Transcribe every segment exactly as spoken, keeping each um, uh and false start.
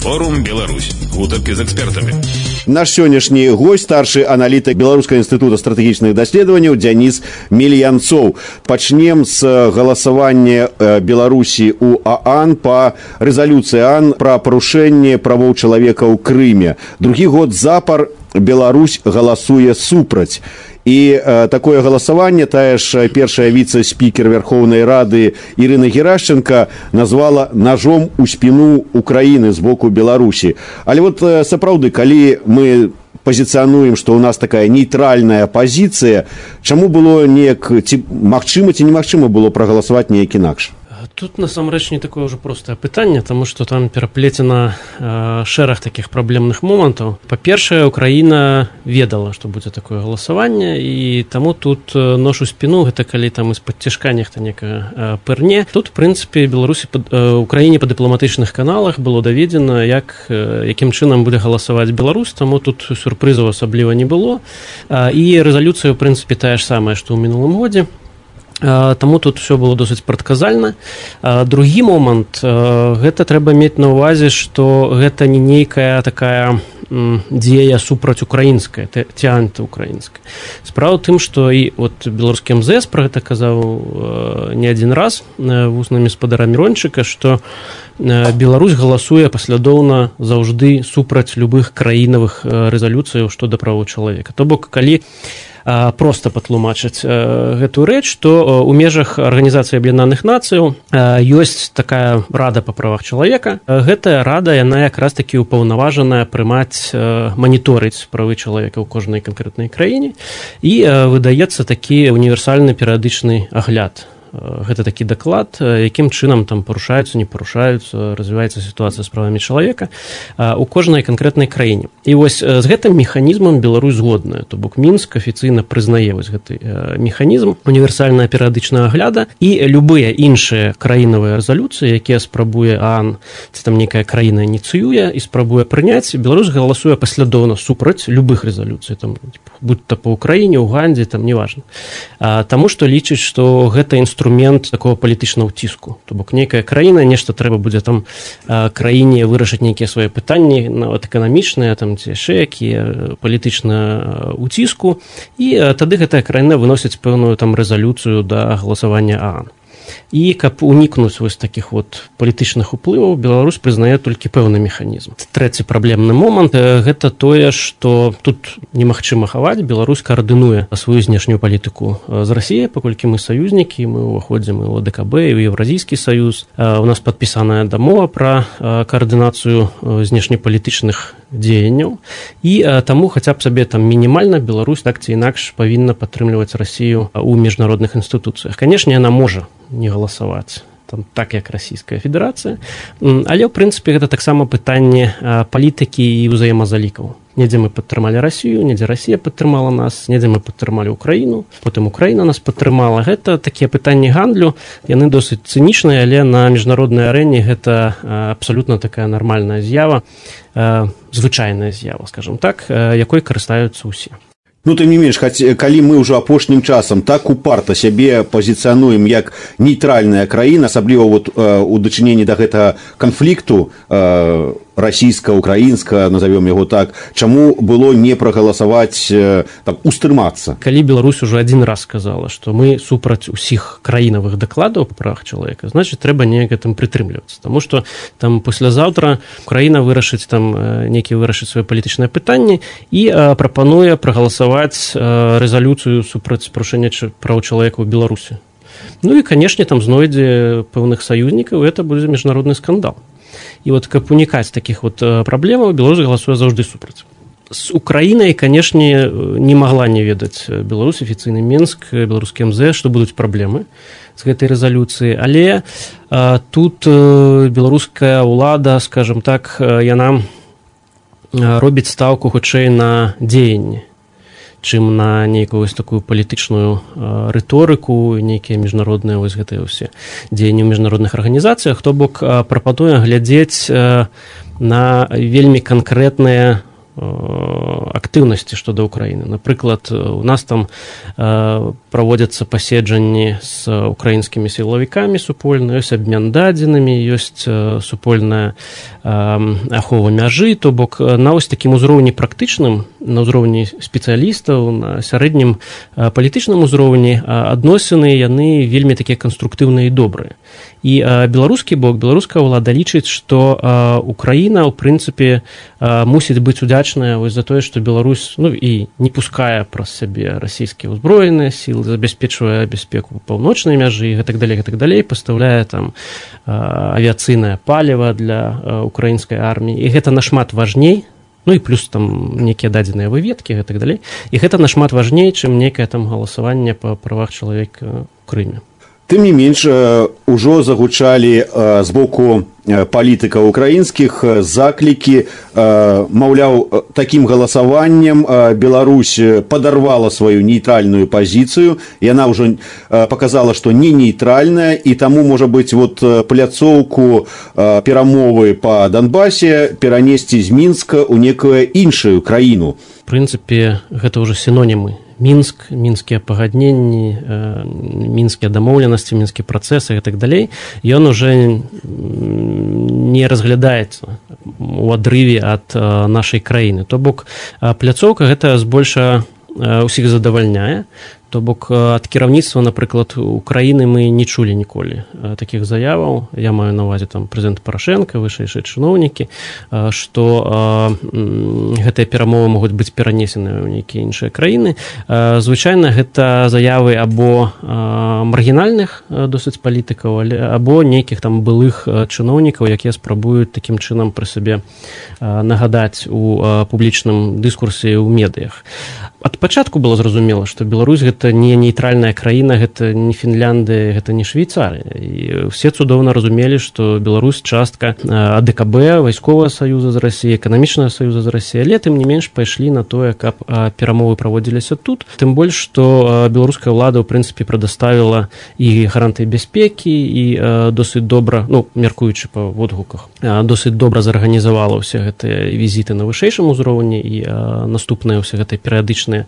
Форум Беларусь. Гутарки з экспертамі. Наш сённяшні гость, старшы аналітык Беларускага інстытута стратэгічных даследаванняў Дзяніс Мельянцоў. Пачнем з галасавання Беларусі ў ААН па рэзалюцыі ААН пра парушэнне правоў чалавека ў Крыме. Другі год запар Беларусь галасуе супраць. І э, такое галасаванне тая ж першая віцэ-спікер Верховнай Рады Ірына Герашченко назвала ножом у спіну Украіны з боку Беларусі. Але вот э, сапраўды, калі мы пазіцыянуем, што ў нас такая нейтральная пазіцыя, чаму было неяк, ці магчыма, ці немагчыма было прагаласаваць неяк інакш? Тут, насамрэч, не такое ўжо простае пытанне, таму што там пераплецена э, шэраг такіх праблемных момантаў. Па-першае, Украіна ведала, што будзе такое галасаванне, і таму тут нож у спіну, гэта калі там з-пад цяжка нехта некага э, пырне. Тут, в прынцыпе, Беларусі, э, Украіне па дыпламатычных каналах было даведзена, як, э, якім чынам будзе галасаваць Беларусь, таму тут сюрпрызаў асабліва не было. Э, і рэзалюцыя, в прынцыпе, тая ж самая, што ў мінулым годзе. Таму тут все было досыць прадказальна. Другі момант, гэта трэба мець на ўвазе, што гэта не нейкая такая дзея супраць украінская, ці антыукраінская. Справа ў тым, што і от беларускі эм зэ эс пра гэта казаў не адзін раз вуснамі спадара Мірончыка, што Беларусь галасуе паслядоўна заўжды супраць любых краінавых рэзалюцыяў што да правоў чалавека. То бок, калі просто патлумачыць гэтую рэч, то ў межах Арганізацыі Аб'яднаных Нацыяў ёсць такая рада па правах чалавека. Гэтая рада, яна якраз такі ўпаўнаважаная прымаць, маніторыць правы чалавека ў кожнай канкрэтнай краіне, і выдаецца такі універсальны перыядычны агляд. Гэта такі даклад, якім чынам там парушаюцца, не парушаюцца, развіваецца сітуацыя з правамі чалавека у кожнай канкрэтнай краіне. І вось з гэтым механізмам Беларусь згодная, то бок Мінск афіцыйна прызнае вось гэты механізм універсальнага перыядычнага агляда, і любыя іншыя краінавыя рэзалюцыі, якія спрабуе ААН, ці там нейкая краіна ініцыюе і спрабуе прыняць, Беларусь галасуе паслядоўна супраць любых рэзалюцый, там будь то па Украіне, Угандзе, там неважна. Таму што лічыць, што гэта інструмент такого палітычнага ўціску. То бок нейкая краіна, нешта трэба будзе там краіне вырашыць нейкія свае пытанні, нават эканамічныя, там ці яшчэ якія палітычна ўціску, і тады гэтая краіна выносіць пэўную там рэзалюцыю да галасавання ААН. І каб унікнуць вось такіх вот палітычных уплываў, Беларусь прызнае толькі пэўны механізм. Трэці праблемны момант гэта тое, што тут немагчыма хаваць, Беларусь каардынуе сваю знешнюю палітыку з Расіяй, паколькі мы саюзнікі, мы ўваходзім і ў ДКБ, і ў Еўразійскі саюз. У нас падпісаная дамова пра каардынацыю знешнепалітычных дзеянняў, і таму хаця б сабе там мінімальна Беларусь так ці інакш павінна падтрымліваць Расію ў міжнародных інстытуцыях. Канешне, яна можа не галасаваць там так, як Расійская Федэрацыя, але ў прынцыпе гэта таксама пытанне палітыкі і ўзаемазалікаў. Недзе мы падтрымалі Расію, недзе Расія падтрымала нас, недзе мы падтрымалі Украіну, потым Украіна нас падтрымала. Гэта такія пытанні гандлю, яны досыць цынічныя, але на міжнароднай арэне гэта абсалютна такая нармальная з'ява, звычайная з'ява, скажам так, якой карыстаюцца ўсе. Ну, тым не менш, калі мы ўжо апошнім часам так упарта сябе пазіцыянуем як нейтральная краіна, асабліва вот, у дачыненні да гэтага канфлікту расійска-украінска, назовем яго так, чаму было не прагаласаваць, там, устрымацца? Калі Беларусь ужо адзін раз сказала, што мы супраць усіх краінавых дакладаў па правах чалавека, значыць, трэба неяк гэтым прытрымлівацца. Таму што там паслязаўтра Украіна вырашыць там нейкі вырашыць свае палітычныя пытанні і прапануе прагаласаваць рэзалюцыю супраць парушэння праў чалавека ў Беларусі. Ну і, канешне, там знойдзе пэўных саюзнікаў, і гэта будзе міжнародны скандал. І вот каб унікаць такіх вот праблемаў, Беларусь галасуе заўжды супраць. З Украінай, канешне, не магла не ведаць Беларусь, афіцыйны Мінск, беларускі эм зэ эс, што будуць праблемы з гэтай рэзалюцыі, але а, тут а, беларуская ўлада, скажам так, яна робіць стаўку хутчэй на дзеянні, чым на нейкую вось такую палітычную рыторыку, нейкія міжнародныя вось гэтыя ўсе дзеянні ў міжнародных арганізацыях, то бок прапануе глядзець на вельмі канкрэтныя актыўнасці шчодо Украіны. Напрыклад, у нас там праводзяцца паседжанні з украінскімі сілавікамі супольна, ёсць абмен дадзенымі, ёсць супольная ахова мяжы, то бок на вось такім узроўні практычным, на ўзроўні спецыялістаў, на сярэднім палітычным узроўні адносіны яны вельмі такія канструктыўныя і добрыя. І беларускі бок, беларуская ўлада лічыць, што Украіна, ў прынцыпе, мусіць быць удзячная вось за тое, што Беларусь, ну, і не пускае праз сябе расійскія ўзброеныя сілы, забяспечвае бяспеку паўночнай мяжы, і гэтак далей, гэтак далей, пастаўляе там авіяцыйнае паліва для украінскай арміі. І гэта нашмат важней, ну і плюс там нейкія дадзеныя выведкі, гэтак далей. І гэта нашмат важней, чым нейкае там галасаванне па правах чалавека ў Крыме. Тым не менш, ужо загучалі з боку палітыкаў украінскіх заклікі, маўляў, такім галасаваннем Беларусь падарвала сваю нейтральную пазіцыю, яна ўжо паказала, што не нейтральная, і таму, можа быць, вот пляцоўку перамовы па Донбасе перанесці з Мінска ў некую іншую краіну. В прынцыпе, гэта ўжо сінонімы. Мінск, мінскія пагадненні, мінскія дамоўленасці, мінскія працэсы і так далей, ён уже не разглядаецца у адрыве ад нашай краіны. То бок пляцоўка гэта збольша ўсіх задавальняе. То бок ад кіраўніцтва, напрыклад, Украіны мы не чулі ніколі такіх заяваў. Я маю на ўвазе там прэзідэнт Парашенка, вышэйшыя чыноўнікі, што гэтыя перамовы могуць быць перанесены ў нейкія іншыя краіны. Звычайна гэта заявы або маргінальных досыць палітыкаў, або нейкіх там былых чыноўнікаў, якія спрабуюць такім чынам пры сабе нагадаць у публічным дыскурсе ў медыях. Ад пачатку было зразумела, што Беларусь гэта не нейтральная краіна, гэта не Фінляндыя, гэта не Швейцарыя. І все цудоўна разумелі, што Беларусь частка АДКБ, вайсковага саюза з Расіяй, эканамічнага саюза з Расіяй, але тым не менш пайшлі на тое, каб перамовы праводзіліся тут. Тым больш, што беларуская ўлада, ў прынцыпе, прадаставіла і гарантыі бяспекі, і досыць добра, ну, мяркуючы па водгуках, досыць добра зарганізавала ўсе гэтыя візіты на вышэйшым узроўні і наступныя ўсе гэтыя перыядычныя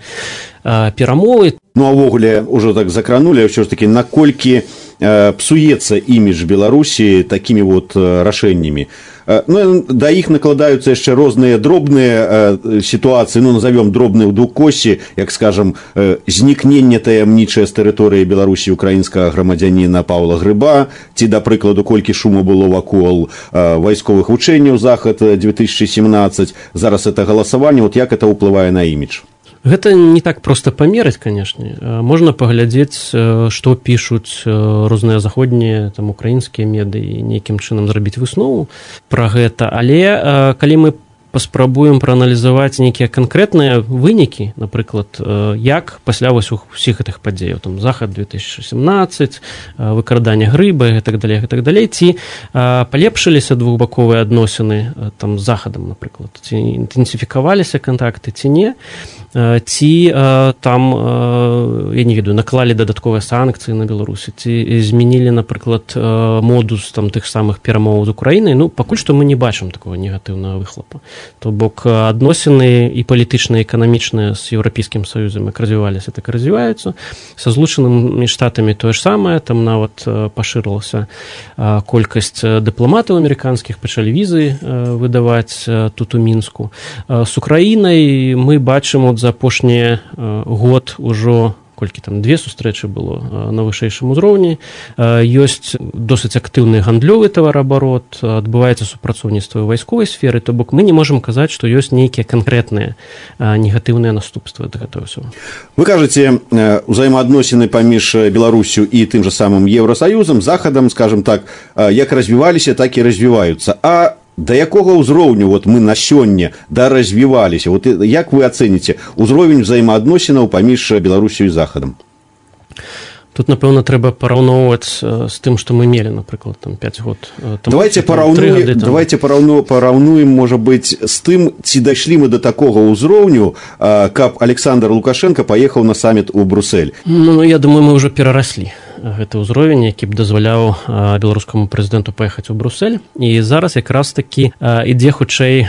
перамовы. Ну, а ввогуле ўжо так закранулі, ўсё ж такі, наколькі э, псуецца імідж Беларусі такімі вот э, рашэннямі. Э, ну, да іх накладаюцца яшчэ розныя дробныя э, сітуацыі, ну, назовём дробныя ў двукосці, як, скажам, э, знікненне таямнічае з тэрыторыі Беларусі украінскага грамадзяніна Паўла Грыба, ці, да прыкладу, колькі шуму было вакол э, вайсковых вучэнняў Захад две тысячи семнадцать, зараз это галасаванне, вот як это ўплывае на імідж? Гэта не так проста памераць, канешне. Можна паглядзець, што пішуць розныя заходнія, там, украінскія медыі, нейкім чынам зрабіць выснову пра гэта. Але калі мы паспрабуем прааналізаваць нейкія канкрэтныя вынікі, напрыклад, як пасля вось усіх гэтых падзеяў, там, Захад две тысячи семнадцать, выкрадання Грыба і так далей, і так далей, ці палепшыліся двухбаковыя адносіны там з Захадам, напрыклад, ці інтэнсіфікаваліся кантакты, ці не, ці там, я не ведаю, наклалі дадатковыя санкцыі на Беларусі, ці змянілі, напрыклад, модус там тых самых перамоваў з Украінай. Ну, пакуль што мы не бачым такого негатыўнага выхлапа. То бок адносіны і палітычныя, і эканамічныя з Еўрапейскім Саюзам як развіваліся, так і развіваюцца. Са Злучанымі Штатамі тое ж самае, там нават пашырылася колькасць дыпламатаў амерыканскіх, пачалі візы выдаваць тут у Мінску. З Украінай мы бачым от за апошні год ужо колькі там две сустрэчы было на вышэйшым узроўні, ёсць досыць актыўны гандлёвы тавараабарот, адбываецца супрацоўніцтва ў вайсковай сферы, то бок мы не можам казаць, што ёсць нейкія канкрэтныя негатыўныя наступствы ад гэтага ўсё. Вы кажаце, узаемаадносіны паміж Беларусю і тым жа самым Еўрасаюзам, Захадам, скажем так, як развіваліся, так і развіваюцца. А да якога ўзроўню вот мы на сёння даразвіваліся? Вот як вы ацэніце ўзровень узаемаадносінаў паміж Беларусю і Захадам? Тут, напэўна, трэба параўноўваць з тым, што мы мелі, напрыклад, там пяць год. Там, давайте параўнуем, гады, там... давайте параўну, параўнуем, можа быць, з тым, ці дайшлі мы да такога ўзроўню, каб Александр Лукашенко паехаў на саміт у Бруссель. Ну, я думаю, мы ўжо перараслі гэты ўзровень, які б дазваляў беларускаму прэзідэнту паехаць у Брусэль. І зараз якраз такі ідзе хутчэй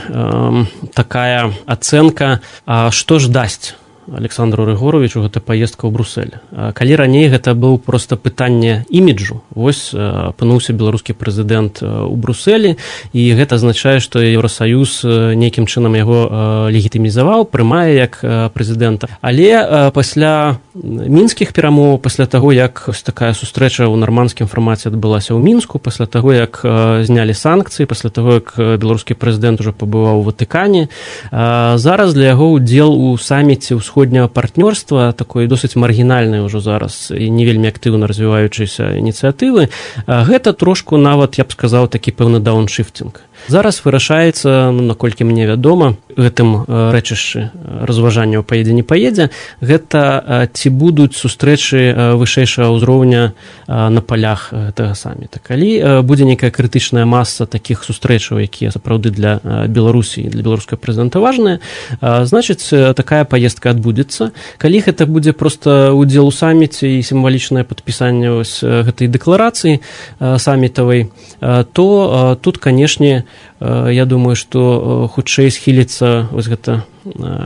такая ацэнка, што ж дасць Александру Рыгоровичу гэта паездка ў Брусэль. Калі раней гэта быў проста пытанне іміджу, вось апынуўся беларускі прэзідэнт у Брусэлі, і гэта азначае, што Еўрасаюз нейкім чынам яго легітымізаваў, прымае як прэзідэнта. Але пасля мінскіх перамоў, пасля таго, як такая сустрэча ў нармандскім фармаце адбылася ў Мінску, пасля таго, як знялі санкцыі, пасля таго, як беларускі прэзідэнт ужо пабываў у Ватыкане, зараз для яго ўдзел у саміце ўсходняга партнёрства, такой досыць маргінальнай ўжо зараз і не вельмі актыўна развіваючыся ініцыятывы, гэта трошку нават, я б сказаў, такі пэўны дауншыфтинг. Зараз вырашаецца, ну, наколькі мне вядома, гэтым рэчышчы разважанняў паедзе не паедзе, гэта ці будуць сустрэчы вышэйшага ўзроўня на палях гэтага саміта. Калі будзе нейкая крытычная маса такіх сустрэчаў, якія сапраўды для Беларусі і для беларускага прэзідэнта важныя, значыць, такая паездка адбудзецца. Калі гэта будзе проста ўдзел у саміце і сімвалічнае падпісанне вось гэтай дэкларацыі самітавай, то тут, канешне, я думаю, што хутчэй схіліцца вось гэта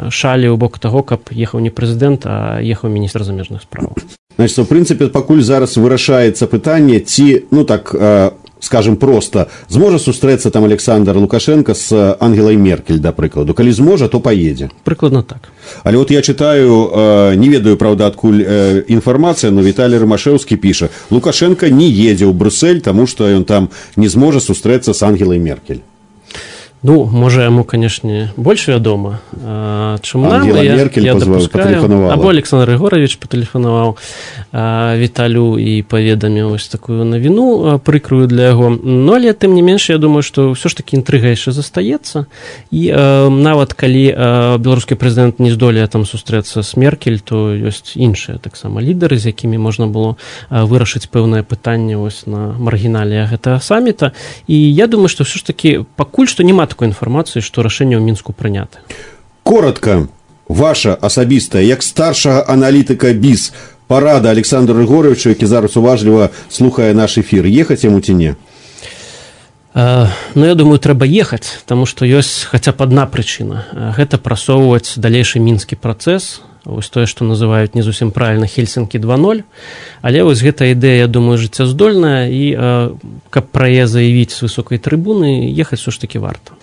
шалі ў бок таго, каб ехаў не прэзідэнт, а ехаў міністр замежных спраў. Значит, в прынцыпе, пакуль зараз вырашаецца пытанне, ці, ну так, скажем проста, зможа сустрэцца там Александр Лукашенко с Ангелой Меркель, да прыкладу. Калі зможа, то поедзе. Прыкладна так. Але вот я читаю, не ведаю, правда, адкуль інфармацыя, но Віталій Рымашэўскі піша: Лукашенко не едзе ў Брюссель, таму што ён там не зможа сустрэцца з Ангелой Меркель. Ну, можа, яму, канешне, больш вядома, чым нам. Ангела я, Меркель я патэлефанавала. Або Александр Рыгорович патэлефанаваў Віталю і паведаміў вось такую навіну прыкрую для яго. Но, але, тым не менш, я думаю, што ўсё ж такі інтрыга яшчэ застаецца. І э, нават калі э, беларускі прэзідэнт не здолее там сустрэцца з Меркель, то ёсць іншыя таксама лідары, з якімі можна было э, вырашыць пэўнае пытанне вось на маргінале гэтага саміта. І я думаю, што ўсё ж такі пакуль што няма такой інфармацыі, што рашэнне ў Мінску прынята. Коротка, ваша асабістая, як старшага аналітыка БІС, парада Александру Рыгоровичу, які зараз уважліва слухае наш эфір, ехаць яму ці не? Uh, ну, я думаю, трэба ехаць, таму што ёсць хаця б адна прычына. Uh, гэта прасоўваць далейшы мінскі працэс, вось тое, што называюць не зусім правільна Хельсінкі два ноль, але вось гэта ідэя, я думаю, жыццяздольная, і uh, каб пра яе заявіць з высокай трыбуны, ехаць все ж такі варта.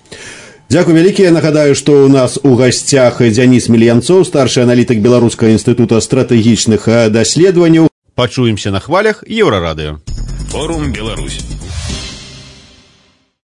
Дзякуй вялікі. Я нагадаю, што ў нас у гасцях Дзяніс Мільянцоў, старшы аналітык Беларускага інстытута стратэгічных даследаванняў. Пачуемся на хвалях Еўрарадыё. Форум Беларусь.